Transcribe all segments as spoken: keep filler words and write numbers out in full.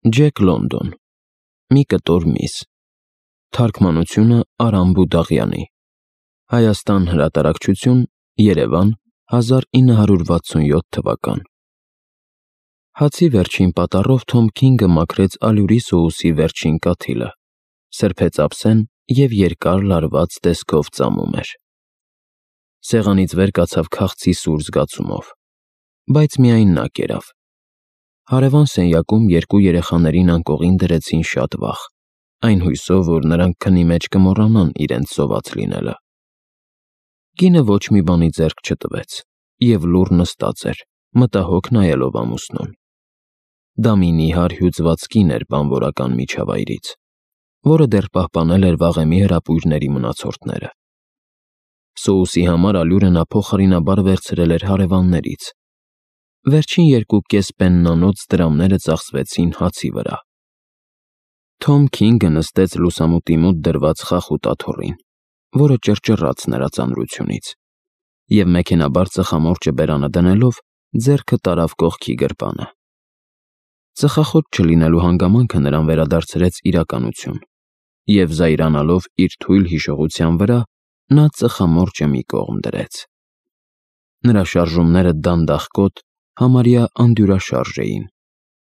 Ջեք Լոնդոն, մի կտոր միս, թարգմանությունը Արամ Բուդաղյանի, Հայաստան հրատարակչություն, Երևան, հազար ինը հարյուր վաթսունյոթ թվական։ Հացի վերջին պատառով Թոմ Քինգը մաքրեց ալյուրի սոուսի վերջին կաթիլը, սրբեց ափսեն և երկար լարված տեսքով ծամում էր։ Սեղանից վեր կացավ քաղցի սուր զգացումով, բայց միայն նա կերավ։ Հարևան սենյակում երկու երեխաներին անկողին դրեցին շատ վաղ, այն հույսով, որ նրանք քնի մեջ կմոռանան իրենց սոված լինելը։ Կինը ոչ մի բանի ձեռք չտվեց և լուռ նստած էր, մտահոգ նայելով ամուսնուն։ Դա մի նիհար հյուծված կին էր բանվորական միջավայրից, որը դեռ պահպանել էր վաղեմի հրապույրների մնացորդները։ Սոուսի համար ալյուրը նա փոխարինաբար վերցրել էր հարևաններից։ Վերջին երկու կես պեննանոց դրամները ծախսվեցին հացի վրա։ Թոմ Քինգը նստեց լուսամուտի մոտ դրված խախուտ աթոռին, որը ճռճռաց նրա ծանրությունից, և մեքենաբար ծխամորճը բերանը դնելով ձեռքը տարավ կողքի գրպանը։ Ծխախոտ չլինելու հանգամանքը նրան վերադարձրեց իրականություն, և զայրանալով իր թույլ հիշողության վրա, նա ծխամորճը մի կողմ դրեց։ Նրա շարժումները դանդաղկոտ, համարյա անդյուրաշարժ էին,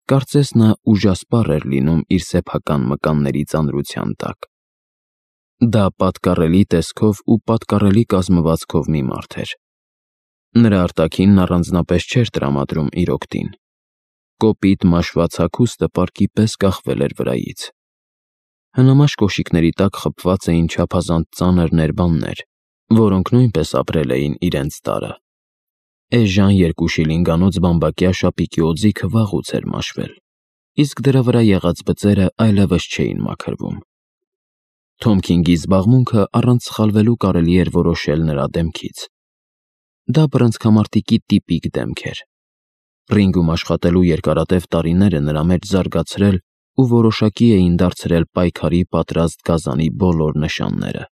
կարծես նա ուժասպառ էր լինում իր սեփական մկանների ծանրության տակ։ Դա պատկառելի տեսքով ու պատկառելի կազմվածքով մի մարդ էր։ Նրա արտաքինն առանձնապես չէր տրամադրում իր օգտին։ Կոպիտ մաշված հագուստը պարկի պես կախվել էր վրայից։ Հնամաշ կոշիկների տակ խբված էին չափազանց ծանր ներբաններ, որոնք նույնպես ապրել էին իրենց տարը։ Էժան երկու շիլինգանոց բամբակյա շապիկի օձիքը վաղուց էր մաշվել, իսկ դրա վրա եղած բծերը այլևս չէին մաքրվում։ Թոմ Քինգի զբաղմունքը առանց սխալվելու կարելի էր որոշել նրա դեմքից։ Դա բռնցքամարտիկի տիպիկ դեմք էր։ Ռինգում աշխատելու երկարատև տարիները նրա մեջ զարգացրել ու որոշակի էին դարձրել պայքարի պատրաստ գազանի բոլոր նշանները։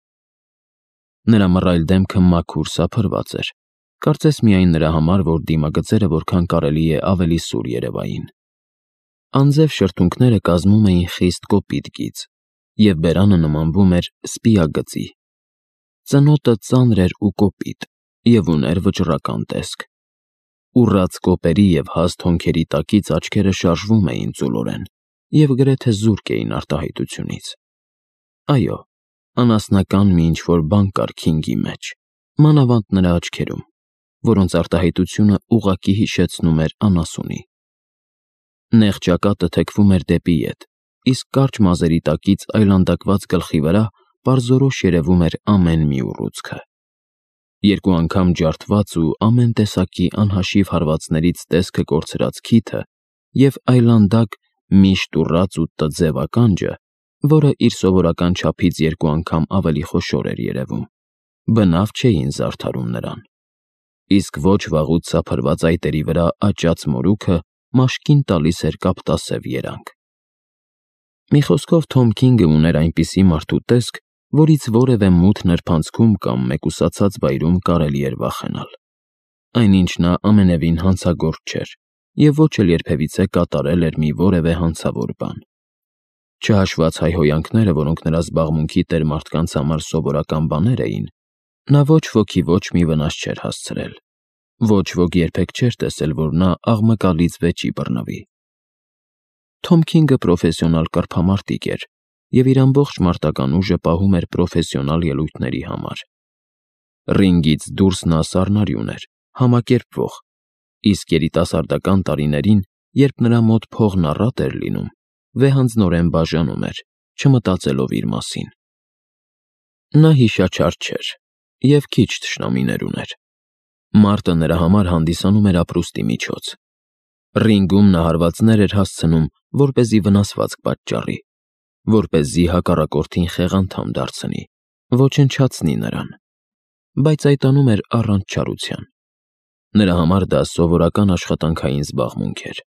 Նրա մռայլ դեմքը մաքուր սափրված էր, կարծես միայն նրա համար, որ դիմագծերը որքան կարելի է ավելի սուր երևային։ Անձև շրթունքները կազմում էին խիստ կոպիտ գիծ, և բերանը նմանվում էր սպիագծի։ Ծնոտը ծանր էր ու կոպիտ և ուներ վճռական տեսք։ Ուռած կոպերի և հաստ հոնքերի տակից աչքերը շարժվում էին ծուլորեն և գրեթե զուրկ էին արտահայտությունից։ Այո, անասնական մի ինչ-որ բան կար Քինգի մեջ, մանավանդ նրա աչքերում, որոնց արտահայտությունը ուղղակի հիշեցնում էր անասունի։ Նեղ ճակատը թեքվում էր դեպի ետ, իսկ կարճ մազերի տակից այլանդակված գլխի վրա պարզորոշ երևում էր ամեն մի ուռուցքը։ Երկու անգամ ջարդված ու ամեն տեսակի անհաշիվ հարվածներից տեսքը կորցրած քիթը և այլանդակ, միշտ ուռած ու տձև ականջը, որը իր սովորական չափից երկու անգամ ավելի խոշոր էր երևում, բնավ չէին զարդարում նրան, իսկ ոչ վաղուց սափրված այտերի վրա աճած մորուքը մաշկին տալիս էր կապտասև երանգ։ Մի խոսքով, Թոմ Քինգը ուներ այնպիսի մարդու տեսք, որից որևէ մութ նրբանցքում կամ մեկուսացած վայրում կարելի էր վախենալ։ Այնինչ նա ամենևին հանցագործ չէր և ոչ էլ երբևիցե կատարել էր մի որևէ հանցավոր բան։ Չհաշված հայհոյանքները, որոնք նրա զբաղմունքի տեր մարդկանց համար սովորական բաներ էին, նա ոչ ոքի ոչ մի վնաս չէր հասցրել։ Ոչ ոք երբեք չէր տեսել, որ նա աղմկալից վեճի բռնվի։ Թոմ Քինգը պրոֆեսիոնալ կռվամարտիկ էր և իր ամբողջ մարտական ուժը պահում էր պրոֆեսիոնալ ելույթների համար։ Ռինգից դուրս նա սառնարյուն էր, համակերպվող, իսկ երիտասարդական տարիներին, երբ նրա մոտ փողն առատ էր լինում, վեհանձնորեն բաժանում էր, չմտածելով իր մասին։ Նա հիշաչար չէր և քիչ թշնամիներ ուներ։ Մարտը նրա համար հանդիսանում էր ապրուստի միջոց։ Ռինգում նա հարվածներ էր հասցնում, որպեսզի վնասվածք պատճառի, որպեսզի հակառակորդին խեղանդամ դարձնի, ոչնչացնի նրան, բայց այդ անում էր առանց չարության։ Նրա համար դա սովորական աշխատանքային զբաղմունք էր։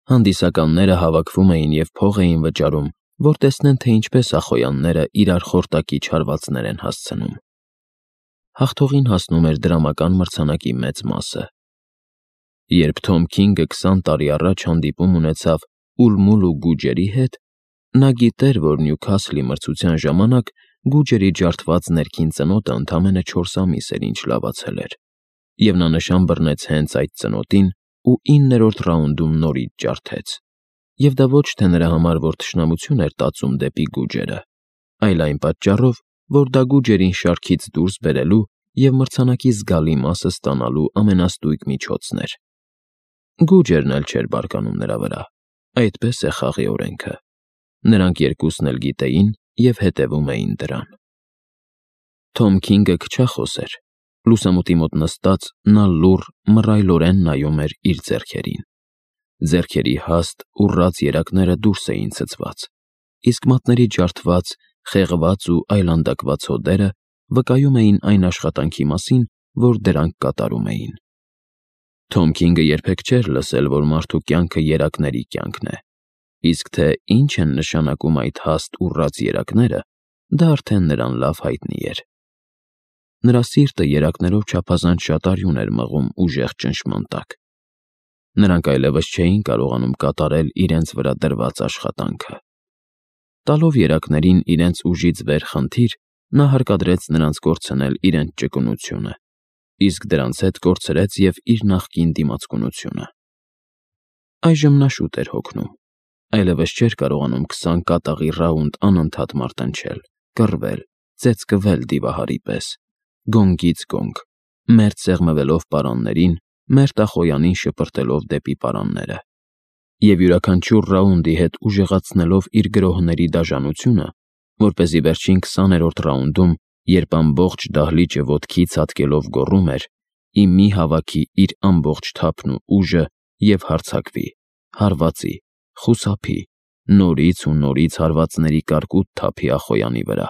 Հանդիսականները հավաքվում էին և փող էին վճարում, որ տեսնեն, թե ինչպես ախոյանները իրար խորտակիչ հարվածներ են հասցնում։ Հաղթողին հասնում էր դրամական մրցանակի մեծ մասը։ Երբ Թոմ Քինգը քսան տարի առաջ հանդիպում ունեցավ Ուլմուլ ու Գուջերի հետ, նա գիտեր, որ Նյուքասլի մրցության ժամանակ Գուջերի ջարդված ներքին ծնոտը ընդամենը չորս ամիս էր ինչ լավացել էր, և նա նշան բռնեց հենց այդ ծնոտին ու իններորդ ռաունդում նորից ջարդեց, և դա ոչ թե նրա համար, որ թշնամություն էր տածում դեպի Գուջերը, այլ այն պատճառով, որ դա Գուջերին շարքից դուրս բերելու և մրցանակի զգալի մասը ստանալու ամենաստույգ միջոցն էր։ Գուջերն էլ չէր բարկանում նրա վրա, այդպես է խաղի օրենքը։ Նրանք երկուսն էլ գիտեին և հետևում էին դրան։ Թոմ Քինգը քչախոս էր։ Լուսամուտի մոտ նստած նա լուռ, մռայլորեն նայում էր իր ձեռքերին։ Ձեռքերի հաստ, ուռած երակները դուրս էին ցցված, իսկ մատների ջարդված, խեղված ու այլանդակված հոդերը վկայում էին այն աշխատանքի մասին, որ դրանք կատարում էին։ Թոմ Քինգը երբեք չէր լսել, որ մարդու կյանքը երակների կյանքն է, իսկ թե ինչ են նշանակում այդ հաստ ուռած երակները, դա արդեն նրան լավ հայտնի էր։ Նրա սիրտը երակներով չափազանց շատ արյուն էր մղում ուժեղ ճնշման տակ։ Նրանք այլևս չէին կարողանում կատարել իրենց վրա դրված աշխատանքը։ Տալով երակներին իրենց ուժից վեր խնդիր, նա հարկադրեց նրանց կորցնել իրենց ճկունությունը, իսկ դրանց հետ կորցրեց և իր նախկին դիմացկունությունը։ Այժմ նա շուտ էր հոգնում, այլևս չէր կարողանում քսան կատաղի ռաունդ անընդհատ մարտնչել, կռվել, ծեծկվել դիվահարի պես, գոնգից գոնգ, մերթ սեղմվելով պարաններին, մերթախոյանին շպրտելով դեպի պարանները, և յուրաքանչյուր ռաունդի հետ ուժեղացնելով իր գրոհների դաժանությունը, որպեսզի վերջին քսաներորդ ռաունդում, երբ ամբողջ դահլիճը ոտքի ցատկելով գոռում էր. «Ի մի հավաքի իր ամբողջ թափն ու ուժը և հարձակվի, հարվածի, խուսափի, նորից ու նորից հարվածների կարկուտ թափի Ախոյանի վրա,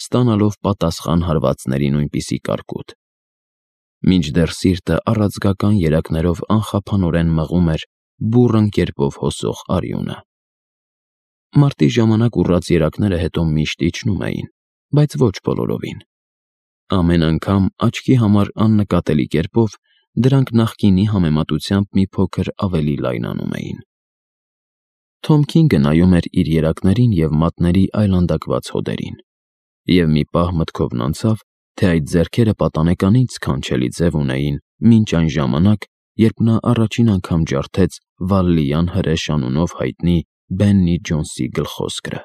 ստանալով պատասխան հարվածների նույնպիսի կարկուտ»։ Մինչդեռ սիրտը առաձգական երակներով անխափանորեն մղում էր բուռն կերպով հոսող արյունը։ Մարտի ժամանակ ուռած երակները հետո միշտ իջնում էին, բայց ոչ բոլորովին։ Ամեն անգամ աչքի համար աննկատելի կերպով դրանք նախկինի համեմատությամբ մի փոքր ավելի լայնանում էին։ Թոմ Քինգը նայում էր իր երակներին և մատների այլանդակված հոդերին, և մի պահ մտքովն անցավ, թե այդ ձեռքերը պատանեկանից սքանչելի ձև ունեին մինչ այն ժամանակ, երբ նա առաջին անգամ ջարդեց Վալլիյան հրեշ անունով հայտնի Բեննի Ջոնսի գլխոսկրը։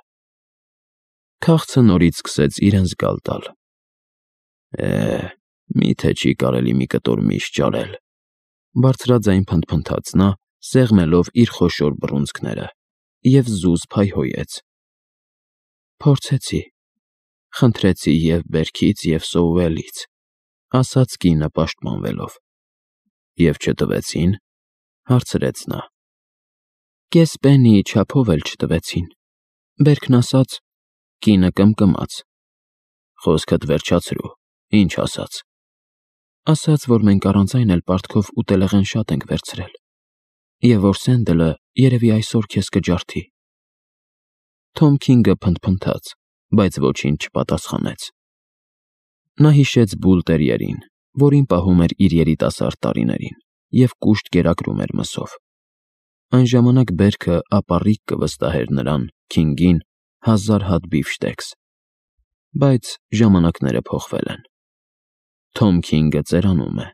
Քաղցը նորից սկսեց իրեն զգալ տալ։ «Է, մի՞թե չի կարելի մի կտոր միշ ճարել», բարձրաձայն փնթփնթաց նա, սեղմելով իր խոշոր բռունցքները, և զուզ փայհոյեց։ «Փորձեցի, խնդրեցի և՛ բերքից, և՛ Սոուելից», ասաց կինը պաշտպանվելով։ «Եվ չտվեցի՞ն», հարցրեց նա։ «Կես պեննիի չափով էլ չտվեցին, բերքն ասաց»։ Կինը կմկմաց։ «Խոսքդ վերջացրու, ինչ ասաց»։ «Ասաց, որ մենք առանց այն էլ պարտքով ուտելեղեն շատ ենք վերցրել, և որ Սենդլը երևի այսօր քեզ կջարդի»։ Թոմ Քինգը փնթփնթաց, բայց ոչինչ չպատասխանեց։ Նա հիշեց Բուլ տերիերին, որին պահում էր իր երիտասարդ տարիներին, և կուշտ կերակրում էր մսով։ Այն ժամանակ բերքը ապառիկ կվստահեր նրան՝ Քինգին, հազար հատ բիֆշտեքս։ Բայց ժամանակները փոխվել են։ Թոմ Քինգը ծերանում է,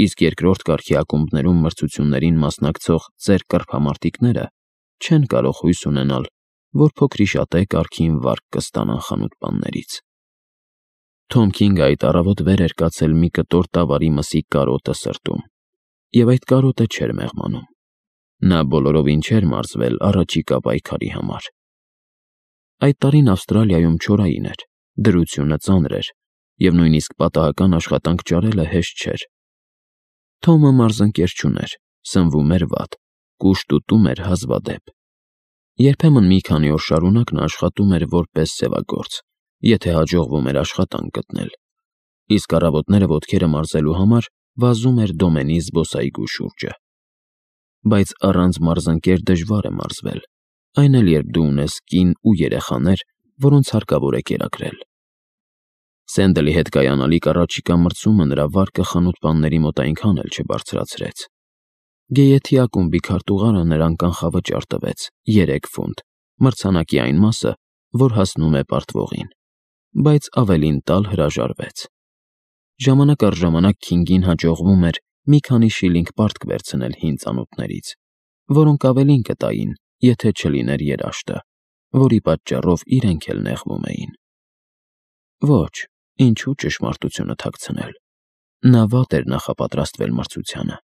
իսկ երկրորդ կարգի ակումբներում մրցություններին մասնակցող ծեր կռվամարտիկները չեն կարող հույս ունենալ, որ փոքրիշատե կարգին վարկ կստանան խանութպաններից։ Թոմ Քինգը այդ առավոտ վեր էր կացել մի կտոր տավարի մսի կարոտը սրտում, և այդ կարոտը չէր մեղմանում։ Նա բոլորովին չէր մարզվել առաջիկա պայքարի համար։ Այդ տարին Ավստրալիայում չորային էր, դրությունը ծանր էր, և նույնիսկ պատահական աշխատանք ճարելը հեշտ չէր։ Թոմը մարզընկեր չուներ, սնվում էր վատ, կուշտ ուտում էր հազվադեպ։ Երբեմն մի քանի օր շարունակ նա աշխատում էր որպես սևագործ, եթե հաջողվում էր աշխատանք գտնել, իսկ առավոտները ոտքերը մարզելու համար վազում էր Դոմենի զբոսայգու շուրջը։ Բայց առանց մարզընկեր դժվար է մարզվել, այն էլ երբ դու ունես կին ու երեխաներ, որոնց հարկավոր է կերակրել։ Սենդլի հետ կայանալիք առաջիկա մրցումը նրա վարկը խանութպանների մոտ այնքան էլ չբարձրացրեց։ Գեյեթի ակումբի քարտուղարը նրան կանխավճար տվեց երեք ֆունտ, մրցանակի այն մասը, որ հասնում է պարտվողին, բայց ավելին տալ հրաժարվեց։ Ժամանակ առ ժամանակ Քինգին հաջողվում էր մի քանի շիլինգ պարտք վերցնել հին ծանոթներից, որոնք ավելին կտային, եթե չլիներ երաշտը, որի պատճառով իրենք էլ նեղվում էին։ Ոչ, ինչու ճշմարտությունը թաքցնել։ Նա վատ էր նախապատրաստվել մրցությանը։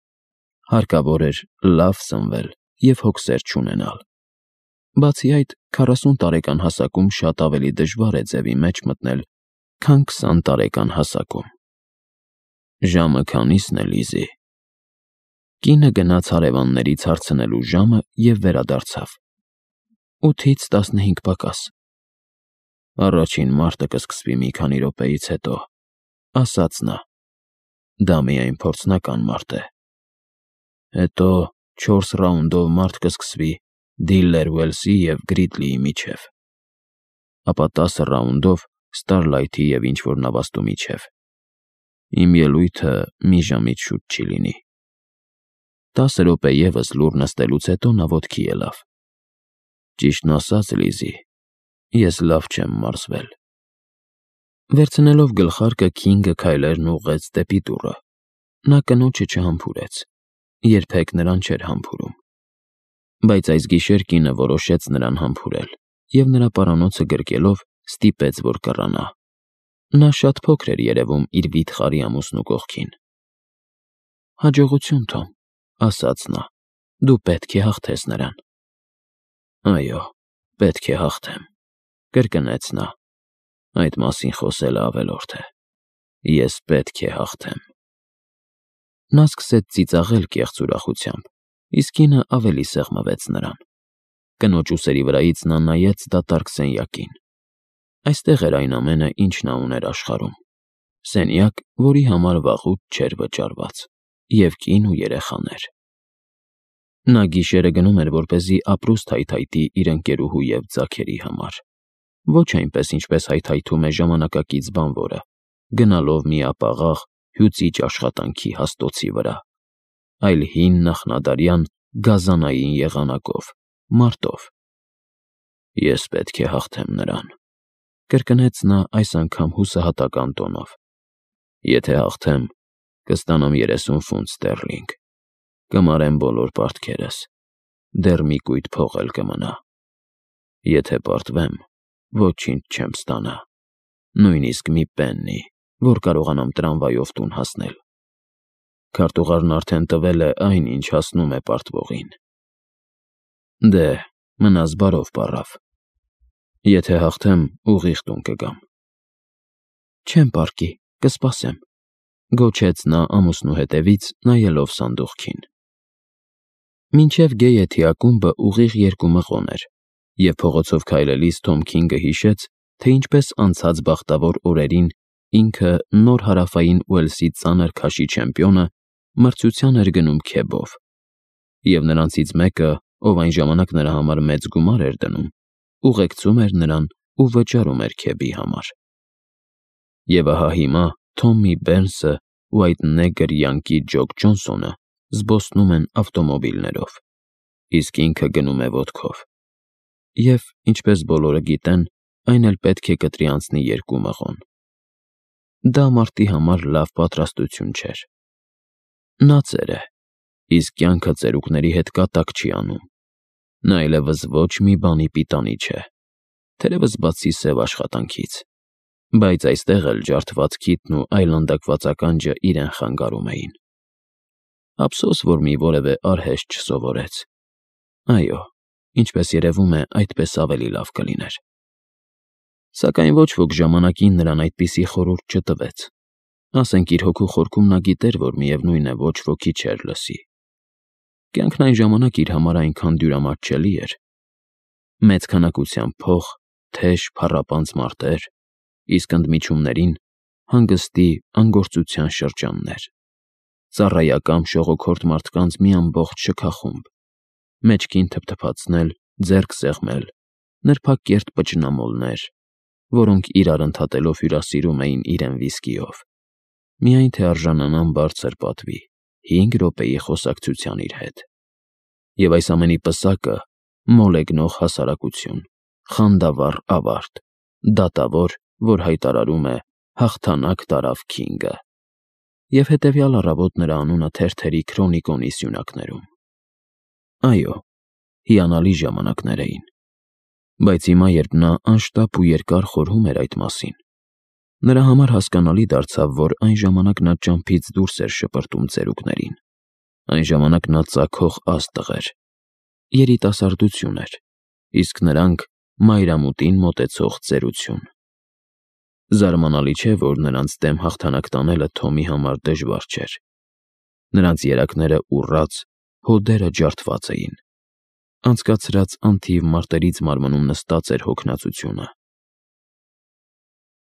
Հարկավոր էր լավ սնվել և հոգսեր չունենալ։ Բացի այդ, քառասուն տարեկան հասակում շատ ավելի դժվար է ձևի մեջ մտնել, քան քսան տարեկան հասակում։ Ժամը քանի՞սն է, Լիզի։ Կինը գնաց հարևաններից հարցնելու ժամը և վերադարձավ։ Ութից տասնհինգ պակաս։ Առաջին մարտը կսկսվի մի քանի րոպեից հետո, ասաց նա։ Դա միայն փորձնական մարտ է։ Հետո չորս ռաունդով մարտ կսկսվի Դիլլեր Ուելսի և Գրիդլիի միջև, ապա տասը ռաունդով Ստարլայթի և ինչ-որ նավաստու միջև։ Իմ ելույթը մի ժամից շուտ չի լինի։ Տասը րոպե ևս լուռ նստելուց հետո նա ոտքի ելավ։ Ճիշտն ասած, Լիզի, ես լավ չեմ մարզվել։ Վերցնելով գլխարկը, Քինգը քայլերն ուղղեց դեպի դուռը։ Նա կնոջը չհամբուրեց։ Երբեք նրան չէր համբուրում։ Բայց այս գիշեր կինը որոշեց նրան համբուրել և նրա պարանոցը գրկելով ստիպեց, որ կռանա։ Նա շատ փոքր էր երևում իր վիթխարի ամուսնու կողքին։ Հաջողություն, Թոմ, ասաց նա, դու պետք է հաղթես նրան։ Այո, պետք է հաղթեմ, կրկնեց նա։ Այդ մասին խոսելը ավելորդ է։ Ես պետք է հաղթեմ։ Նա սկսեց ծիծաղել կեղծ ուրախությամբ, իսկ կինը ավելի սեղմվեց նրան։ Կնոջ ուսերի վրայից նա նայեց դատարկ սենյակին։ Այստեղ էր այն ամենը, ինչ նա ուներ աշխարհում։ Սենյակ, որի համար վաղուց չէր վճարված, և կին ու երեխաներ։ Նա գիշերը գնում էր, որպեսզի ապրուստ հայթայթի իր ընկերուհու և ձագերի համար։ Ոչ այնպես, ինչպես հայթայթում է ժամանակակից բանվորը, գնալով մի ապաղաղ, հյուծիչ աշխատանքի հաստոցի վրա, այլ հին նախնադարյան գազանային եղանակով, մարտով։ Ես պետք է հաղթեմ նրան, կրկնեց նա այս անգամ հուսահատական տոնով։ Եթե հաղթեմ, կստանամ երեսուն ֆունտ ստերլինգ, կմարեմ բոլոր պարտքերս, դեռ մի կույտ փող էլ կմնա։ Եթե պարտվեմ, ոչինչ չեմ ստանա, նույնիսկ մի պեննի, որ կարողանամ տրամվայով տուն հասնել։ Քարտուղարն արդեն տվել է այն, ինչ հասնում է պարտվողին։ Դե, մնաս բարով, պառավ։ Եթե հաղթեմ, ուղիղ տուն կգամ։ Չեմ պառկի, կսպասեմ, գոչեց նա ամուսնու հետևից, նայելով սանդուղքին։ Մինչև Գեյեթի ակումբը ուղիղ երկու մղոն էր, և փողոցով քայլելիս Թոմ Քինգը հիշեց, թե ինչպես անցած բախտավոր օրերին ինքը նոր հարավային Ուելսի ծանր քաշի չեմպիոնը մրցության էր գնում քեբով, և նրանցից մեկը, ով այն ժամանակ նրա համար մեծ գումար էր դնում, ուղեկցում էր նրան ու վճարում էր քեբի համար։ Եվ ահա հիմա Թոմի Բերնսը ու այդ նեգր յանկի Ջոկ Ջոնսոնը զբոսնում են ավտոմոբիլներով, իսկ ինքը գնում է ոտքով։ Եվ, ինչպես բոլորը գիտեն, այն էլ պետք է կտրի անցնի երկու մղոն։ Դա մարտի համար լավ պատրաստություն չէր։ Նա ծեր է, իսկ կյանքը ծերուկների հետ կատակ չի անում։ Նա այլևս ոչ մի բանի պիտանի չէ, թերևս բացի սև աշխատանքից, բայց այստեղ էլ ջարդված քիթն ու այլանդակված ականջը իրեն խանգարում էին։ Ափսոս, որ մի որևէ արհեստ չսովորեց։ Այո, ինչպես երևում է, այդպես ավելի լավ կլիներ։ Սակայն ոչ ոք ժամանակին նրան այդպիսի խորհուրդ չտվեց։ Ասենք իր հոգու խորքում նա գիտեր, որ միևնույն է ոչ ոքի չէր լսի։ Կյանքն այն ժամանակ իր համար այնքան դյուրամատչելի էր։ Մեծ քանակությամբ փող, թեժ, փառապանծ մարտեր, իսկ ընդմիջումներին հանգստի, անգործության շրջաններ, ծառայական շողոքորթ մարդկանց մի ամբողջ շքախումբ, մեջքին թփթփացնել, ձեռք սեղմել, նրբակերտ պճնամոլներ, որոնք իրար ընդհատելով հյուրասիրում էին իրեն վիսկիով, միայն թե արժանանան բարձր պատվի, հինգ րոպեի խոսակցության իր հետ։ Եվ այս ամենի պսակը մոլեգնող հասարակություն, խանդավառ ավարտ, դատավոր, որ հայտարարում է «հաղթանակ տարավ Քինգը», և հետևյալ առավոտ նրա անունը թերթերի քրոնիկոնի սյունակներում։ Այո, հիանալի ժամանակներ էին, բայց հիմա, երբ նա անշտապ ու երկար խորհում էր այդ մասին, նրա համար հասկանալի դարձավ, որ այն ժամանակ նա ճամփից դուրս էր շպրտում ծերուկներին, այն ժամանակ նա ծագող աստղ էր, երիտասարդություն էր, իսկ նրանք մայրամուտին մոտեցող ծերություն։ Զարմանալի չէ, որ նրանց դեմ հաղթանակ տանելը Թոմի համար դժվար չէր։ Նրանց երակները ուռած, հոդերը ջարդված էին։ Անցկացրած անթիվ մարտերից մարմնում նստած էր հոգնածությունը։